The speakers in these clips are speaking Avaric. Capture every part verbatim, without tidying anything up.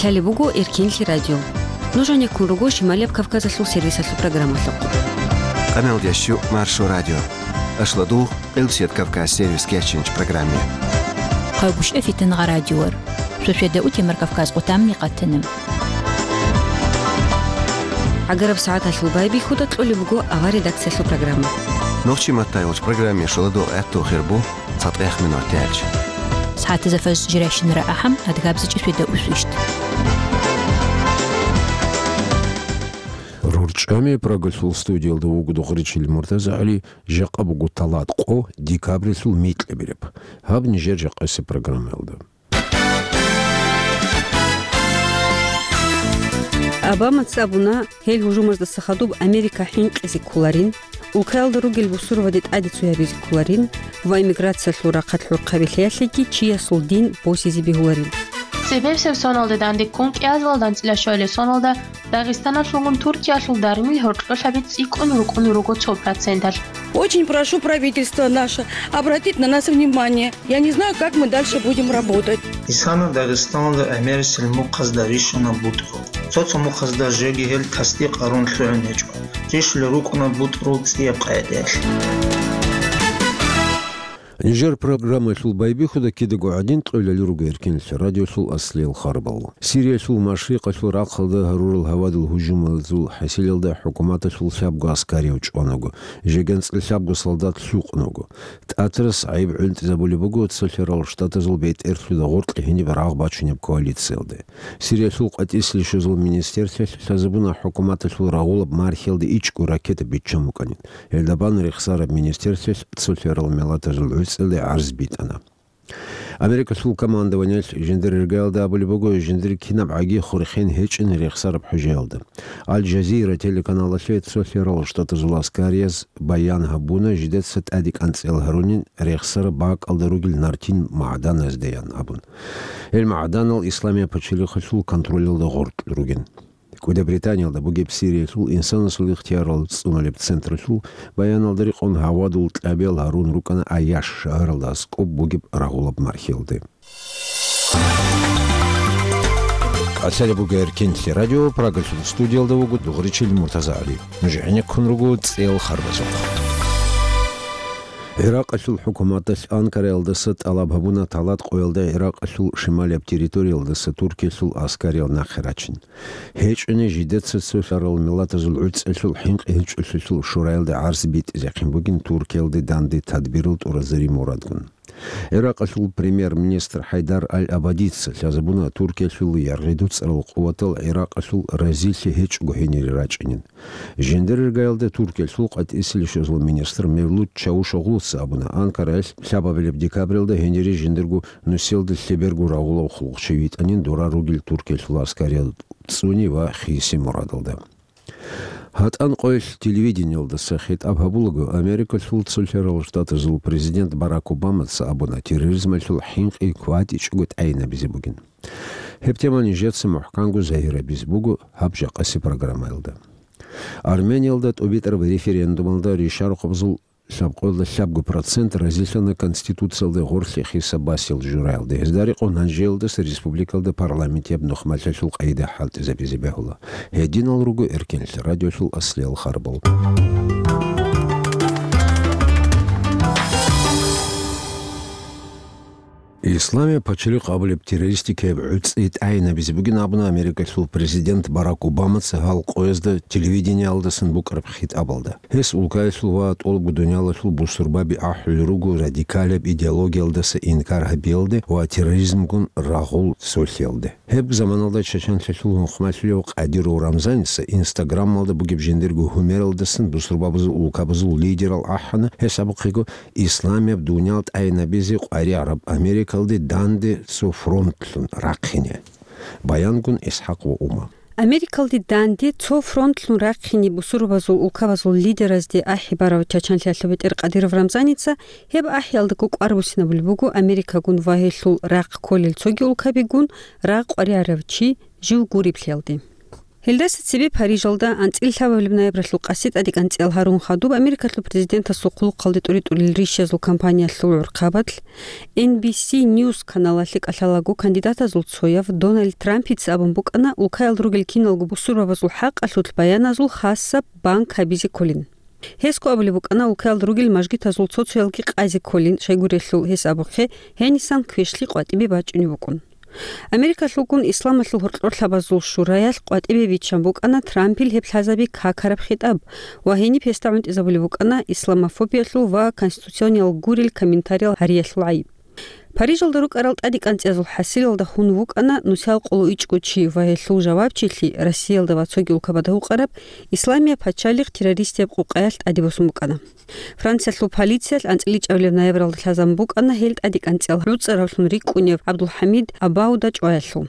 Лъалеб буго Эркенлъи радио. Нуж гьанеккун руго Шималияб Кавказалъул сервисалъул программалъухъ. Къаналдящу Маршо радио. Ашладу, Къилбсият Кавказ сервис кечинч программе. Хъайбушев Фитангъа радиор. Шошеда утимар Кавказ къутамни къатана. ГӀагараб сагӀаталъул байбихьуда кьолеб буго авар редакциялъул программа. Нохчи маттайолч программе шоладо гӀатту хирбу цатӀех минут тялч. СагӀатаза фаз жиращинара ахӀам, адгабзичӀи шведа усвищт. РорчӀами Прагалъул студиялда вуго Дугъричил МуртазагӀали, жакъа буго талат къо декабрилъул микьабилеб. Гьаб нижер жакъаси программаялда. Обамаца абуна, гьел гьужумаздаса хадуб Америка хӀинкъизе кколарин, улкаялда ругел бусурбаби тӀаде цоябизе кколарин ва иммиграциялъул рахъалъ гӀурхъаби лъеялъеги чиясул дин босизе бегьуларин. Цебесеб соналде данде ккун кӀиазалда анцӀила щвалел соналда Дагъистаналъулгун Туркиялъул дармил гьоркьолъаби цӀикӀкӀун рукӀун руго цо проценталъ. Очень прошу правительство наше обратить на нас внимание. Я не знаю, как мы дальше будем работать. Исана Дагъистаналда гӀемерисел мухъазда рищунаб бутӀрул. Цо-цо мухъазда жеги гьел тасдикъ гьарун лъугӀун гьечӀо. Рищулел рукӀунаб бутӀрул цӀияб къагӀидаялъ. Нижер программаялъул байбихьуда кидаго гӀадин кьолел руго Эркенлъи радиолъул аслиял харбал. Сириялъул машрикъалъул рахъалда гьарурал гьавадул гьужумазул хӀасилалда хӀукуматалъул лъабго аскарияв чӀванаго, жеги анцӀила лъабго солдат лъукъунаго. ТӀатарас гӀайиб гӀунтӀизабулеб буго Цолъарал Штатазул бетӀерлъуда гъоркье гьениб рагъ бачунеб коалициялде. Сириялъул къватӀисел щвезул министрлъалъ лъазабуна хӀукуматалъул рагъулаб мархиялде ичӀго ракета биччан букӀанин. Гьелда бан рехсараб министрлъалъ Цолъарал Миллатазул гӀуцӀиялде гӀарз битӀана. Америкалъул командованиялъ жиндир иргаялда абулеб буго, жиндир кинаб гӀаги хурхен гьечӀин рехсараб хӀужаялда. Аль-Жазира телеканалалъе Цолъарал Штатазул аскарияз баян гьабуна, жидеца тӀаде кӀанцӀел гьарунин рехсараб бакӀалда ругел нартин магӀданазде ян абун. Гьел магӀданал Исламияб пачалихъалъул контролалда гъоркь ругин. КӀуда Британиялда бугеб Сириялъул инсанасул ихтиярал цӀуналеб централъул баяналда рекъон гьавадул кьабиял гьарун рукӀана Аяш шагьаралда аскӀоб бугеб рагъулаб мархиялде. КӀалъалеб буго Эркенлъи радио, Прагалъул студиялда вуго Дугъричил МуртазагӀали. Нуж гӀенеккун руго цӀел харбазухъ. ГӀиракъалъул хӀукуматалъ Анкараялдаса тӀалаб гьабуна талат къоялда ГӀиракъалъул шималияб территориялдаса Туркиялъул аскариял нахъе рачин. ГьечӀони жидеца Цолъарал Миллатазул гӀуцӀиялъул хӀинкъи гьечӀолъулъул шураялда гӀарз битӀизехъин бугин Туркиялде данде тадбирал тӀуразари мурадгун. ГӀиракъалъул премьер-министр ХӀайдар Аль-Абадица лъазабуна Туркиялъул яргъи дуцӀарал къуватал ГӀиракъалъул разилъи гьечӀого гьенире рачӀинин. Жиндир иргаялда Туркиялъул къватӀисел щвезул министр Мевлут Чавушоглуца абуна, Анкараялъ лъабабилеб декабралда гьенире жиндирго нусиялда лъеберго рагъулав хъулухъчи витӀанин дора ругел Туркиялъул аскариял цӀуни ва хиси мурадалда. ГьатӀан къоялъ телевидениялдаса хитӀаб гьабулаго, Америкалъул Цолъарал Штатазул президент Барак Обамаца абуна, терроризмалъул хӀинкъи кватӀичӀого тӀайинабизе бугин. Гьеб тема нижеца мухӀканго загьирабизе буго гьаб жакъаси программаялда. Армениялда тӀубитӀараб референдумалда ришарухъабазул лъабкъоялда лъабго процент разилъана Конституциялда гъорлъе хисаб басел жураялда. Гьезда рекъон гьанжеялдаса республикалда парламентияб нухмалъалъул къайда хӀалтӀизабизе бегьула. Гьединал руго Эркенлъи радиолъул аслиял харбал. Исламияб пачалихъ абулеб террористикаяб гӀуцӀи тӀайинабизе бугин абуна Америкалъул президент Барак Обамаца гьал къоязда телевидениялдасан букӀараб хитӀабалда. Гьес улкаялъул ва тӀолабго дуниялалъул бусурбаби ахӀулел руго радикалияб идеологиялдаса инкар гьабиялде ва терроризмгун рагъул цолъиялде. Гьеб заманалда Чачанлъалъул нухмалъулев Къадиров Рамзаница Инстаграмалда бугеб жиндирго гьумералдасан бусурбабазул улкабазул лидерал ахӀана, гьес абухъего, Исламияб дуниял тӀайинабизе къваригӀараб Америкалде данде цо фронтлъун рахъине. Баянгун ИсхӀакъ ва Ума. Америкалде данде цо фронтлъун рахъине бусурбабазул улкабазул лидеразде ахӀи барав Чачанлъиялъул бетӀер Къадиров Рамзаница гьеб ахӀиялдаго кӀвар буссинабулеб буго Америкагун ва гьелъул рахъ кколел цоги улкабигун рагъ къваригӀарав чи жив гуриблъиялде. Гьелдаса цебе Парижалда анцӀила лъабабилеб ноябралъул къаси тӀадекӀанцӀиял гьарун хадуб Америкалъул президентасул хъулухъалде тӀуритӀулел рищазул кампаниялъул гӀурхъабазул Эн Би Си Ньюс каналалъе кӀалъалаго кандидатазул цояв Дональд Трампица абун букӀана улкаялда ругел киналго бусурбабазул хӀакъалъулъ баяназул хасаб банк гьабизе кколин. Гьесго абулеб букӀана улкаялда ругел мажгитазул цо-цоялги къазе кколин, щайгурелъул гьес абухъе, гьенисан квешлъи къватӀибе бачӀунеб букӀун. Америкалъулгун Исламалъул гьоркьорлъабазул шураялъ къватӀибе биччан букӀана Трампил гьеб лъазаби какараб хитӀаб ва гьениб гьесда гӀунтӀизабулеб букӀана исламофобиялъул ва конституциониял гурел комментариял гьариялъул гӀайиб. Парижалда рукӀарал тӀадекӀанцӀиязул хӀасилалда хун вукӀана нусиял къоло ичӀго чи ва гьелъул жавабчилъи Россиялда ва цоги улкабада гьукъараб Исламияб пачалихъ террористияб къукъаялъ тӀаде босун букӀана. Франциялъул полициялъ анцӀила ичӀабилеб ноябралда лъазабун букӀана гьел тӀадекӀанцӀиял гӀуцӀаравлъун рикӀкӀунев ГӀабдулхӀамид Абауда чӀваялъул.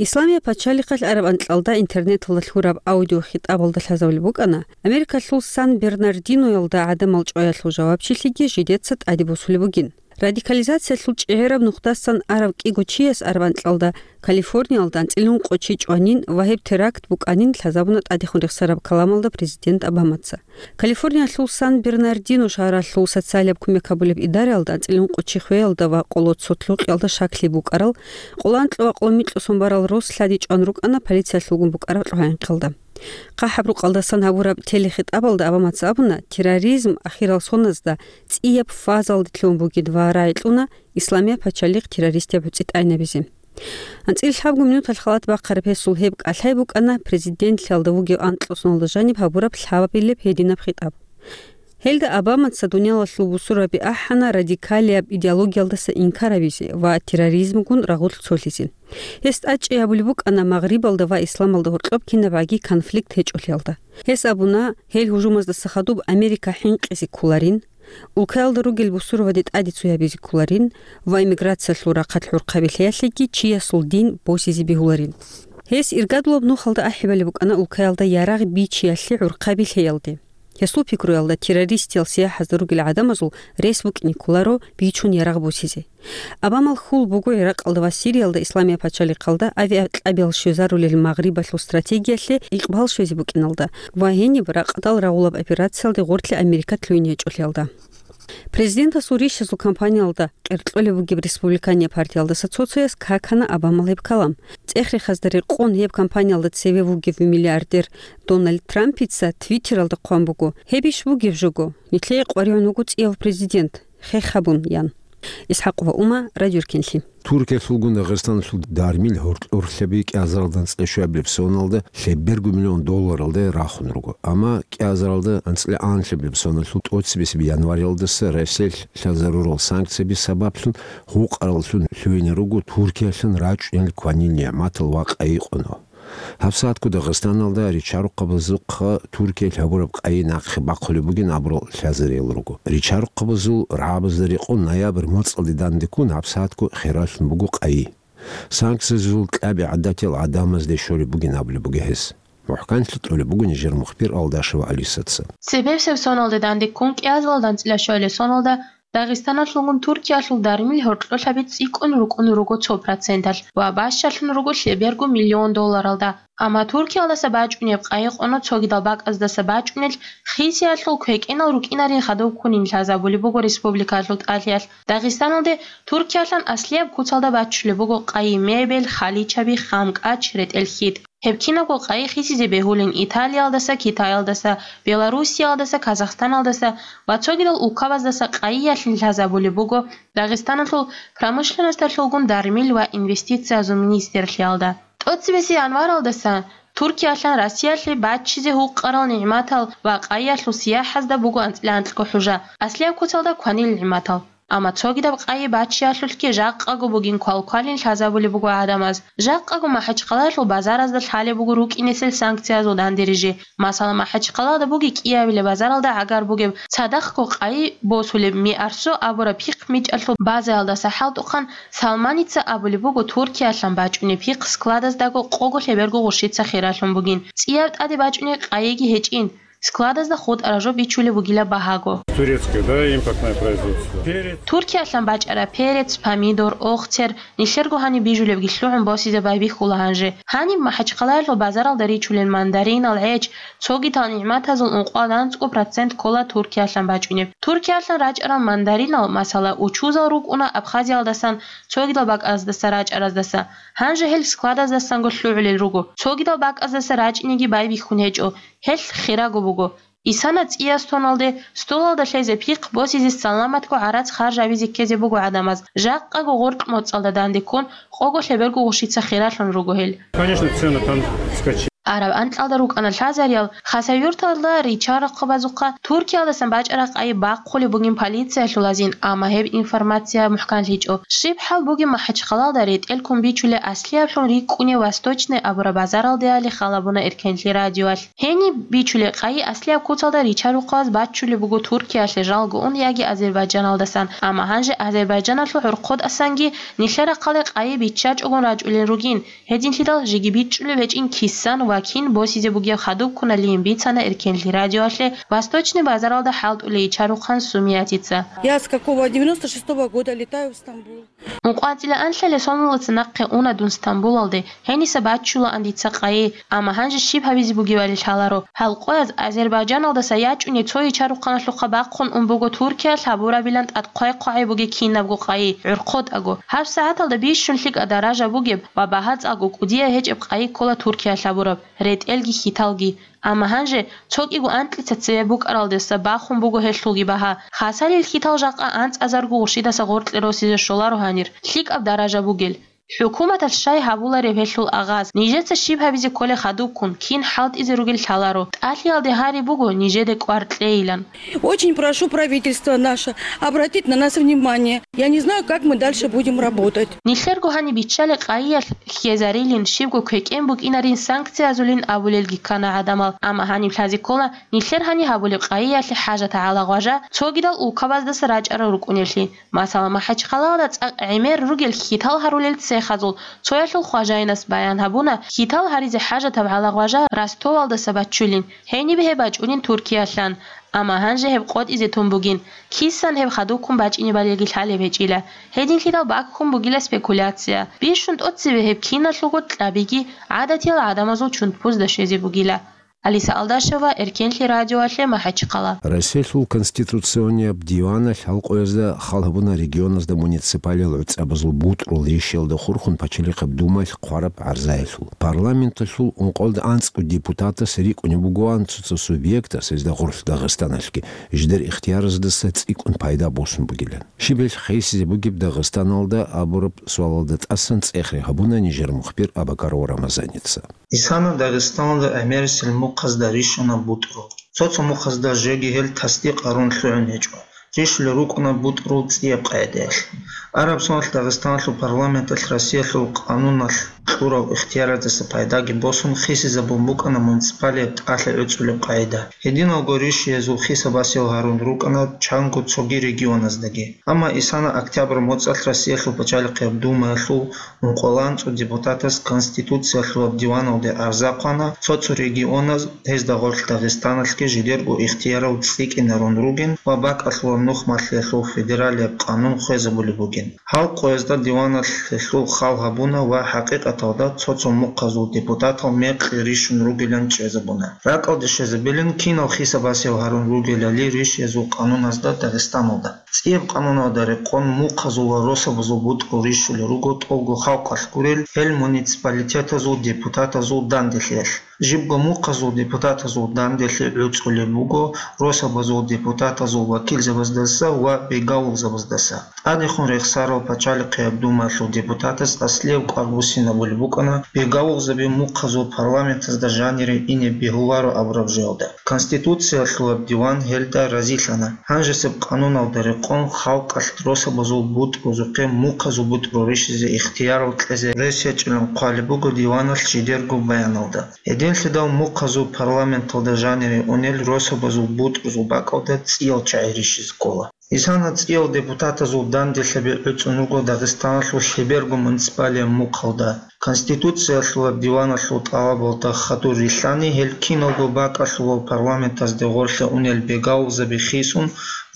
Исламияб пачалихъалъ араб анкьалда интернеталда лъураб аудиохитӀабалда лъазабулеб букӀана, Америкалъул Сан-Бернардиноялда гӀадамал чӀваялъул жавабчилъиги жидеца тӀаде босулеб бугин. Радикализациялъул чӀегӀераб нухдасан арав кӀиго чияс араб анкьалда Калифорниялда анцӀила ункъо чи чӀванин ва гьеб теракт букӀанин лъазабуна тӀадехун рехсараб каламалда президент Обамаца. Калифорниялъул Сан-Бернардино шагьаралъул социалияб кумек гьабулеб идараялда анцӀила ункъо чи хвеялда ва къоло цо лъукъиялда щаклъи букӀарал, къоло анкьа ва къоло микьго сон барал рос лъади чӀван рукӀана полициялъулгун букӀараб лъугьа-хӀинкъиялда. ХъахӀаб рукъалдасан гьабураб телехитӀабалда Обамаца абуна, терроризм ахирал соназда цӀияб фазалде лъугьун бугин ва рагӀи кьуна Исламияб пачалихъ террористияб гӀуцӀи тӀайнабизе. АнцӀила лъабго минуталъ халат бахъараб гьесул гьеб кӀалъай букӀана президентлъиялда вугев анкьа соналда жаниб гьабураб лъабабилеб гьединаб хитӀаб. Гьелда Обамаца дуниялалъул бусурбаби ахӀана радикалияб идеологиялдаса инкар гьабизе ва терроризмгун рагъулъ цолъизе. Гьес тӀадчӀей гьабулеб букӀана Магърибалда ва Исламалда гьоркьоб кинабгӀаги конфликт гьечӀолъиялда. Гьес абуна, гьел гьужумаздаса хадуб Америка хӀинкъизе кколарин, улкаялда ругел бусурбаби тӀаде цоябизе кколарин ва иммиграциялъул рахъалъ гӀурхъаби лъеялъеги чиясул дин босизе бегьуларин. Гьес иргадулаб нухалда ахӀи балеб букӀана улкаялда ярагъ бичиялъе гӀурхъаби лъеялде. Гьесул пикруялда, террористиял сияхӀазда ругел гӀадамазул рес букӀине кколаро бичун ярагъ босизе. Обамал хьул буго ГӀиракъалда ва Сириялда Исламияб пачалихъалда авиакьабиял щвезарулел Магърибалъул стратегиялъе икъбал щвезе букӀиналда ва гьениб ракъдал рагъулаб операциялде гъорлъе Америка лъугьине гьечӀолъиялда. Президентасул рищазул кампаниялда къеркьолеб бугеб Республикания партиялдаса цо-цояс какана Обамал гьеб калам. ЦӀех-рехазда рекъон гьеб кампаниялда цеве вугев миллиардер Дональд Трампица Твиттералда хъван буго: «Гьеб иш бугеб жого, нилъее къваригӀун вуго цӀияв президент, хех гьабун», – ян. Исхакъова Ума, Радио Руккинлъи. Туркиялъулгун Дагъистаналъул дармил гьоркьорлъаби кӀиазаралда анцӀила щуабилеб соналда лъеберго миллион долларалда рахун руго. Амма кӀиазаралда анцӀила анлъабилеб соналъул тӀоцебесеб январалдаса Россиялъ лъазарурал санкцияби сабаблъун гьукъараллъун лъугьине руго Туркиялъан рачӀунел кванил нигӀматал ва къайи къоно. ГьабсагӀатго Дагъистаналда ричарухъабазухъа Туркиялъ гьабураб къайи нахъе бахъулеб бугин абурал лъазариял руго. Ричарухъабазул рагӀабазда рекъон ноябрь моцӀалде дандеккун гьабсагӀатго хералъун буго къайи. Санкциязул кьаби гӀадатиял гӀадамазде щолеб бугин абулеб буго гьес. МухӀканлъи кьолеб буго нижер мухбир Алдашева Алисаца. Цебесеб соналде дандеккун кӀиазаралда анцӀила щуабилеб соналда Дагъистаналъулгун Туркиялъул дармил гьоркьорлъаби цӀикӀкӀун рукӀун руго цо проценталъ ва бащалъун руго лъеберго миллион долларалда. Амма Туркиялдаса бачӀунеб къайи къоно цогидал бакӀаздаса бачӀунел хисиялъул квекӀенал рукӀинарин хадуб ккунин лъазабулеб буго республикалъул тӀалъиялъ. Дагъистаналде Туркиялъан аслияб куцалда баччулеб буго къайи мебель, халичаби, хъамкӀач, ретӀел хьитӀ. Гьеб кинабго къайи хисизе бегьулин Италиялдаса, Китаялдаса, Белоруссиялдаса, Казахстаналдаса ва цогидал улкабаздаса къайиялъе лъазабулеб буго Дагъистаналъул промышленносталъулгун дармил ва инвестициязул министрлъиялда. ТӀоцебесеб январалдаса Туркиялъан Россиялъе баччизе гьукъарал нигӀматал ва къайиялъул сияхӀазда буго анцӀила анкьго хӀужа, аслияб куцалда кванил нигӀматал. Амма цогидаб къайи баччиялъулъги жакъаго бугин квалквалин лъазабулеб буго гӀадамаз. Жакъаго МахӀачхъалаялъул базаразда лъалеб буго рукӀинесел санкциязул данде рижи. Масала, МахӀачхъалада буги кӀиабилеб базаралда гӀагар бугеб цадахъго къайи босулеб Миарсо абураб пихъ мичӀалъул базаялдаса хӀалтӀухъан Салманица абулеб буго Туркиялъан бачӀунеб пихъ складаздаго къого лъеберго гъурщица хералъун бугин. ЦӀияб тӀаде бачӀунеб къайиги гьечӀин. Складазда хутӀараб жо бичулеб бугила багьаго. Турецкое, да, импортное производство. Перец. Туркиялъан бачӀараб перец, помидор, охтер, нилъерго гьаниб бижулебги лъугӀун босизе байбихьула гьанже. Гьаниб МахӀачхъалаялъул базаралда ричулел мандаринал, гӀеч, цогидал нигӀматазул ункъоялда анцӀго процент ккола Туркиялъан бачӀунеб. Туркиялъан рачӀарал мандаринал, масала, учузал рукӀуна Абхазиялдасан, цогидал бакӀаздаса рачӀараздаса. Гьанже гьел складаздасанго лъугӀулел руго. Цогидал бакӀаздаса рачӀинеги байбихьун гьечӀо. Гьелъ хираго буго. Исана цӀияс тоналде, столалда лъезе пихъ босизе саламатго гӀарац харжабизе ккезе буго гӀадамаз. Жакъаго гъоркь моцӀалда данде ккун, къого лъеберго гъушица хиралъун руго гьел. Конечно, цены там вскочили. Араб анкьалда рукӀана лъазариял, Хасавюрталда ричарахъабазухъа Туркиялдасан бачӀараб къайи бахъулеб бугин полициялъул азин, амма гьеб информация мухӀканлъичӀо. Щиб хӀал бугеб МахӀачхъалалда ретӀел ккун бичулеб аслияблъун рикӀкӀунеб Восточный абураб базаралдеали халабуна Эркенлъи радиоялъ. Гьениб бичулеб къайи аслияб куцалда ричарухъабаз баччулеб буго Туркиялъе жалго ун яги Азербайджаналдасан, амма гьанже Азербайджаналъул гӀурхъудасанги нилъер рахъалде къайи биччачӀогун рачӀулел ругин. Гьединлъидал жеги бичӀчӀулеб гьечӀин кисан ва кин босизе бугеб хадуб ккуналин бицана Эркенлъи радиоялъе Восточный базаралда хӀалтӀулей чарухъан Сумиятица. Я с какого, девяносто шестого года летаю в Стамбул. УнкъвацӀила анлъале соналдаса нахъе уна дун Стамбулалде, гьениса баччулаан дица къайи, амма гьанже щиб гьабизе бугебали лъаларо. Гьал къояз Азербайджаналдаса ячӀуней цо ичарухъаналъухъа бахъун ун буго Туркиялъ гьабурабилан тӀад хъвай-хъвагӀай бугеб кинабго къайи, гӀурхъотӀаго. ГьабсагӀаталда бищун лъикӀаб даража бугеб ва багьа цӀакъго кӀудияб гьечӀеб къайи ккола Туркиялъ гьабураб, ретӀелги хьиталги. Амма гьанже цо кӀиго анкьица цебе букӀаралдаса бахун буго гьелъулги багьа. Хасалил хьитал жакъа анцӀазарго гъурщидаса гъоркье росизе щоларо гьанир, лъикӀаб даража бугел. ХӀукуматалъ щай гьабулареб гьелъул агъаз, нижеца щиб гьабизе кколеб хадубккун, кин хӀалтӀизе ругел лъаларо. ТӀалъиялде гьари буго нижеде кӀвар кьейилан. Очень прошу правительство наше обратить на нас внимание. Я не знаю, как мы дальше будем работать. Нилъерго гьаниб биччалеб къайиялъ хьезарилин, щибго квекӀен букӀинарин санкциязулин абулелги ккана гӀадамал, амма гьаниб лъазе ккола нилъер гьаниб гьабулеб къайиялъе хӀажатаб гӀалагъважа цогидал улкабаздаса рачӀарал рукӀунеблъи. Масала, МахӀачхъалалда цӀакъ гӀемер ругел хьитал гьарулел цехазул цоялъул хважайнас баян гьабуна, хьитал гьаризе хӀажатаб гӀалагъважа Ростовалдаса баччулин, гьениб гьеб бачӀунин Туркиялъан. Амма гьанже гьеб къотӀизе тун бугин, кисан гьеб хадубккун бачӀинебалилги лъалеб гьечӀила. Гьединлъидал баккун бугила спекуляция. Бищун тӀоцебе гьеб киналъулго кьабиги гӀадатиял гӀадамазул чунтбузда щвезе бугила. Алиса Алдашева, Эркенлъи радиоялъе, МахӀачхъала. Россиялъул Конституционияб диваналъ гьал къоязда хал гьабуна регионазда муниципалиял гӀуцӀабазул бутӀрул ришиялда хурхун Пачалихъаб Думаялъ хъвараб гӀарзаялъул. Парламенталъул ункъоялда анцӀго депутатас рикӀкӀунеб бугоан цо-цо субъектас, гьезда гъорлъ Дагъистаналъги, жидер ихтияраздаса цӀикӀкӀун пайда босун бугилан. Щиб гьелъ хисизе бугеб Дагъистаналда абураб суалалда тӀасан цӀехре гьабуна нижер мухбир Абакаров Рамазаница. Исана Дагъистаналда гӀемерисел мухъазда рищана бутӀрул. Цо-цо мухъазда жеги гьел тасдикъ гьарун лъугӀун гьечӀо. Рищулел рукӀуна бутӀрул цӀияб къагӀидаялъ. Араб соналъ Дагъистаналъул парламенталъ Россиялъул къануналъ кьурал ихтияраздаса пайдаги босун хисизабун букӀана муниципалияб тӀалъи гӀуцӀулеб къагӀида. Гьединалго ришиязул хиса-басиял гьарун рукӀана чанго цоги регионаздаги. Амма исана октябрь моцӀалъ Россиялъул Пачалихъияб Думаялъул ункъоялда анцӀго депутатас Конституциялъулаб диваналде гӀарза хъвана, цо-цо регионаз, гьезда гъорлъ Дагъистаналъги, жидерго ихтиярал цӀикӀкӀинарун ругин ва бакӀалъулаб нухмалъиялъул федералияб къанун хвезабулеб бугин. Гьал къоязда диваналъ гьелъул хал гьабуна ва хӀакъикъаталда цо-цо мухъазул депутатал мекъи рищун ругилан чӀезабуна. РакӀалде щвезабилин, кинал хиса-басиял гьарун ругелали ришиязул къануназда Дагъистаналда. ЦӀияб къануналда рекъон мухъазул ва росабазул бутӀрул рищулел руго тӀолго халкъалъ гурел, гьел муниципалитетазул депутатазул данделъиялъ. Жибго мухъазул депутатазул данделъи гӀуцӀулеб буго росабазул депутатазул вакилзабаздаса ва бегавулзабаздаса. ТӀадехун рехсарал Пачалихъияб Думаялъул депутатас аслияб кӀвар буссинабулеб букӀана бегавулзаби мухъазул парламентазда жанире ине бегьуларо абураб жоялда. Конституциялъулаб диван гьелда разилъана. Гьанжесеб къануналда рекъон халкъалъ росабазул бутӀрузухъе мухъазул бутӀру рищизе ихтиярал кьезе рес гьечӀилан хъвалеб буго диваналъ жидерго баяналда. Гьединлъидал мухъазул парламенталда жанире унел росабазул бутӀрузул бакӀалда цӀиял чагӀи рищизе ккола. Исана цӀиял депутатазул данделъаби гӀуцӀун руго Дагъистаналъул лъеберго муниципалияб мухъалда. Конституциялъул ва диваналъул тӀалабалда хадур рилълъани, гьел киналго бакӀалъувал парламентазде гъорлъе унел бегалзаби хисун,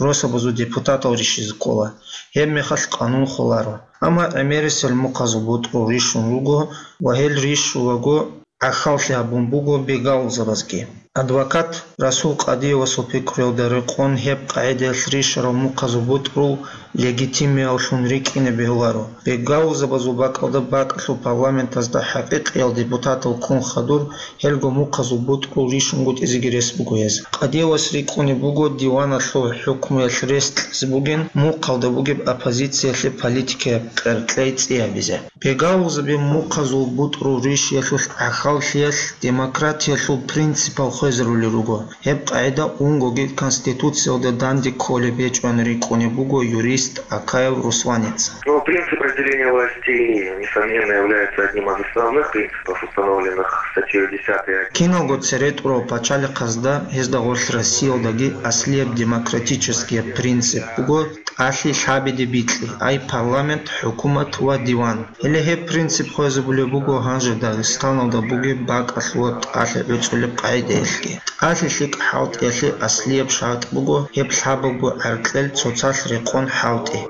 росабазул депутатал рищизе ккола. Гьеб мехалъ къанун холаро. Амма гӀемерисел мухъазул бутӀрул рищун руго ва гьел рищулаго гӀахьаллъи гьабун буго бегалзабазги. Адвокат Расул Къадиевасул пикруялда рекъон, гьеб къагӀидаялъ рищарал мухъазул бутӀрул легитимиявлъун рикӀкӀине бегьуларо. Бегалзабазул бакӀалда бакӀалъул парламентазда хӀакъикъиял депутатал ккун хадур, гьелго мухъазул бутӀрул рищунгутӀизеги рес буго гьез. Къадиевас рикӀкӀунеб буго диваналъул хӀукмуялъ рес кьезе бугин мухъалда бугеб оппозициялъе политикаяб къеркьей цӀи гьабизе. Бегалзаби мухъазул бутӀрул рищиялъулъ гӀахьаллъиялъ демократиялъул принципал хвезарулел руго. Гьеб къагӀида унгоги Конституциялда данде кколеб гьечӀони рикӀкӀунеб буго юрист Акаев Русланица. Ну, принцип разделения властей, несомненно, является одним из основных принципов, установленных статьей десятой. Киналго цере тӀурав пачалихъазда, гьезда гъорлъ Россиялдаги аслияб демократическияб принцип буго тӀалъи лъабиде бикьи, ай парламент, хӀукумат ва диван. Гьеле гьеб принцип хвезабулеб буго гьанже Дагъистаналда бугеб бакӀалъуваб тӀалъи гӀуцӀулеб къагӀидаялъги. ТӀалъи лъикӀ хӀалтӀиялъе аслияб шартӀ буго гьеб лъабабго гӀаркьел цоцалъ рекъон хӀалтӀи.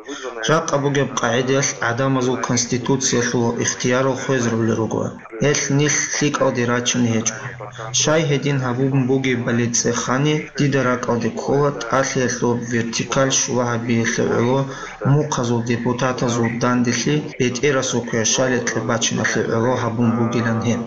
Жакъа бугеб къагӀидаялъ гӀадамазул конституциялъул ихтиярал хвезарулел руго. Гьелъ нилъ лъикӀалде рачине гьечӀо. Щай гьедин гьабун бугебали цӀехани, дида ракӀалде ккола тӀалъиялъул вертикаль щула гьабиялъе гӀоло мухъазул депутатазул данделъи бетӀерасул квешаликье бачиналъе гӀоло гьабун бугилан гьеб.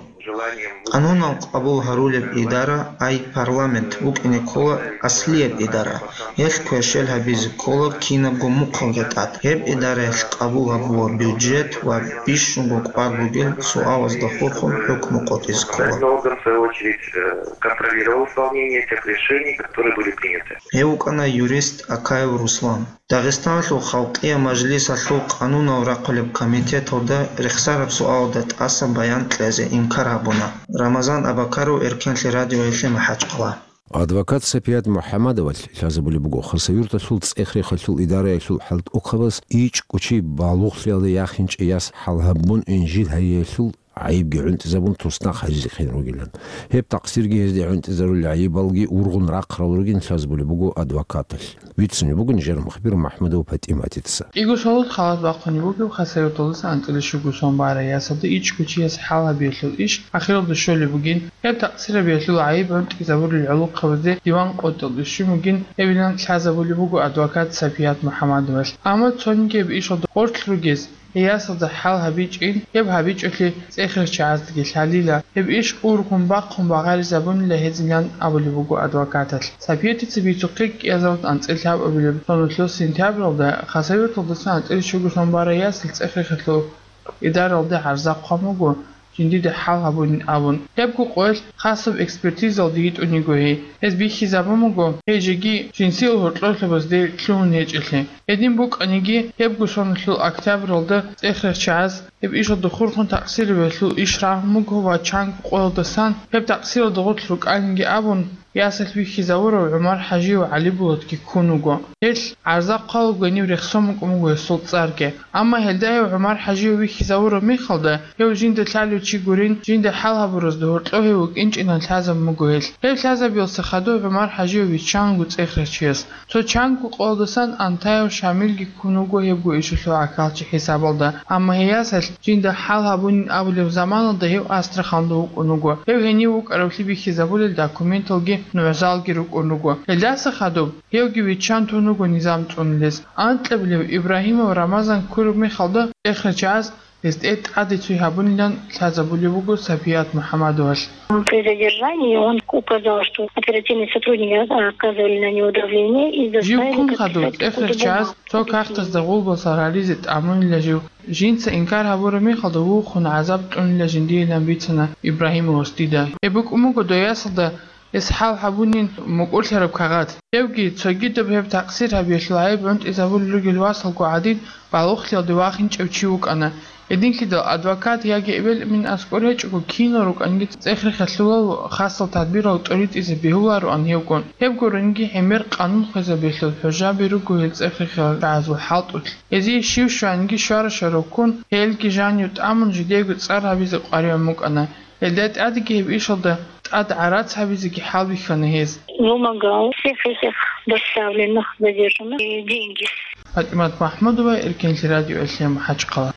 Къанунал къабул гьарулеб идара, ай парламент, букӀине ккола аслияб идара. Гьелъ квешел гьабизе ккола кинабго мухъалда тӀад. Гьеб идараялъ къабул гьабула бюджет ва бищунго кӀвар бугел суалазда хурхун хӀукму къотӀизе ккола. Орган, в свою очередь, э, контролировал исполнение тех решений, которые были приняты. Гьев вукӀана юрист Акаев Руслан. Дагъистаналъул Халкъиял Мажлисалъул къанунал рахъулеб комитеталда рехсараб суалда тӀаса баян кьезе инкар гьабуна. Рамазан Абакаров, Эркенлъи радиоялъе МахӀачхъала. Адвокат Сапият МухӀаммадовалъ лъазабулеб буго Хасавюрталъул цӀех-рехалъул идараялъул хӀалтӀухъабаз ичӀго чи балугълъиялда яхинчӀей яс хӀал гьабун инжит гьайиялъул гӀайибги гӀунтӀизабун туснахъ гьаризехъин ругилан. Гьеб такъсирги гьезде гӀунтӀизарулел гӀайибалги ургъун рахъарал ругин лъазабулеб буго адвокаталъ. Бицунеб буго нижер мухбир МахӀмудов ПатӀиматица. КӀиго шалат халат бахъунеб бугеб Хасавюрталдаса анцӀила щуго сон барай ясалда ичӀго чияс хӀал гьабиялъул иш ахиралда щолеб бугин, гьеб такъсир гьабиялъул гӀайиб гӀунтӀизабулел гӀолохъабазде диван къотӀиялде щун бугин, гьебилан лъазабулеб буго адвокат Сапият МухӀаммадовалъ. Амма цониги гьеб ишалда гъорлъ ругез, гьей ясалда хӀал гьабичӀин, гьеб гьабичӀолъи цӀех-рехчагӀаздаги лъалила, гьеб иш ургъун бахъун багъаризабунила гьезилан абулеб буго адвокаталъ. Сапиятица бицухъе кӀиазаралда анцӀила лъабабилеб соналъул сентябралда Хасавюрталдасан анцӀила щуго сон барай ясал цӀех-рехалъул идаралде гӀарза хъван буго, жиндида хӀал гьабунин абун. Гьебго къоялъ хасаб экспертизалде йитӀун йиго гьей. Гьез бихьизабун буго, гьей жеги жинсил гьоркьорлъабазде лъугьун гьечӀелъи. Гьедин букӀаниги, гьебго соналъул октябралда цӀех-рехчагӀаз гьеб ишалда хурхун такъсир гьабиялъул иш рагьун буго ва чанго къоялдасан гьеб такъсиралда гъорлъ рукӀаниги абун, ясалъ вихьизавурав ГӀумар ХӀажиев ГӀалибулатги ккун вуго. Гьелъ гӀарза хъвалеб гьанив рехсон букӀун буго гьесул цӀарги. Амма гьелда гьев ГӀумар ХӀажиев вихьизавураб мехалда, гьев жинда лъалев чи гурин, жинда хӀал гьабуразда гьоркьов гьев вукӀинчӀилан лъазабун буго гьелъ. Гьев лъазабиялъе хадуб ГӀумар ХӀажиев виччан вуго цӀех-рехчияс. Цо чанго къоялдасан Антаев Шамилги ккун вуго гьебго ишалъул гӀахьалчи хӀисабалда, амма гьей ясалъ жинда хӀал гьабунин абулеб заманалда гьев Астраханда вукӀун вуго. Гьев гьенив вукӀаравлъи бихьизабулел документалги нугӀзалги рукӀун руго. Гьелдаса хадуб гьевги виччан тун вуго низам цӀунулез. Анкьабилев Ибрагьимов Рамазан ккураб мехалда цӀех-рехчагӀаз гьесде тӀаде цой гьабунилан лъазабулеб буго Сапият МухӀаммадовалъ. При задержании он указал, что оперативные сотрудники оказывали на него давление и Жив заставили ккун хадуб подписать какой-то цӀех-рехчагӀаз бумагу. Цо кагътазда гъулбал сарализе тӀамунила жив. Жинца инкар гьабураб мехалда вухун гӀазаб кьунила жиндиилан бицана Ибрагьимовас дида. Гьеб букӀун буго дой ясалда Гьес хӀал гьабунин мукӀурлъараб кагъат. Гьевги, цогидаб гьеб такъсир гьабиялъул гӀайиб гӀунтӀизабулел ругел васалго гӀадин, балугълъиялде вахинчӀев чи вукӀана. Гьединлъидал адвокат яги эбел-эмен аскӀор гьечӀого, кинал рукӀанги цӀех-рехиялъулал хасал тадбирал тӀоритӀизе бегьулароан гьевгун. Гьеб гуренги гӀемер къанун хвезабиялъул хӀужаби руго гьел цӀех-рехиялъул чагӀазул хӀалтӀулъ. Гьезие щив щванги щвара-щварав ккун, гьелги жанив тӀамун жидеего цӀар гьабизе къваригӀун букӀана. Гьелда тӀадеги гьеб ишалда тӀад гӀарац гьабизеги хӀалбихьана гьез. Вымогал всех этих доставленных, задержанных и деньги. ПатӀимат Махмудова, Эркенлъи радио, Элъем, МахӀачхъала.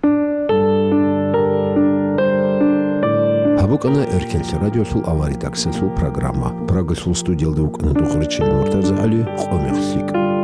Гьаб букӀана Эркенлъи радиолъул авария редакциялъул программа. Прагалъул студиялда вукӀана Духъричил МуртазагӀали, Къо-мех лъикӀ.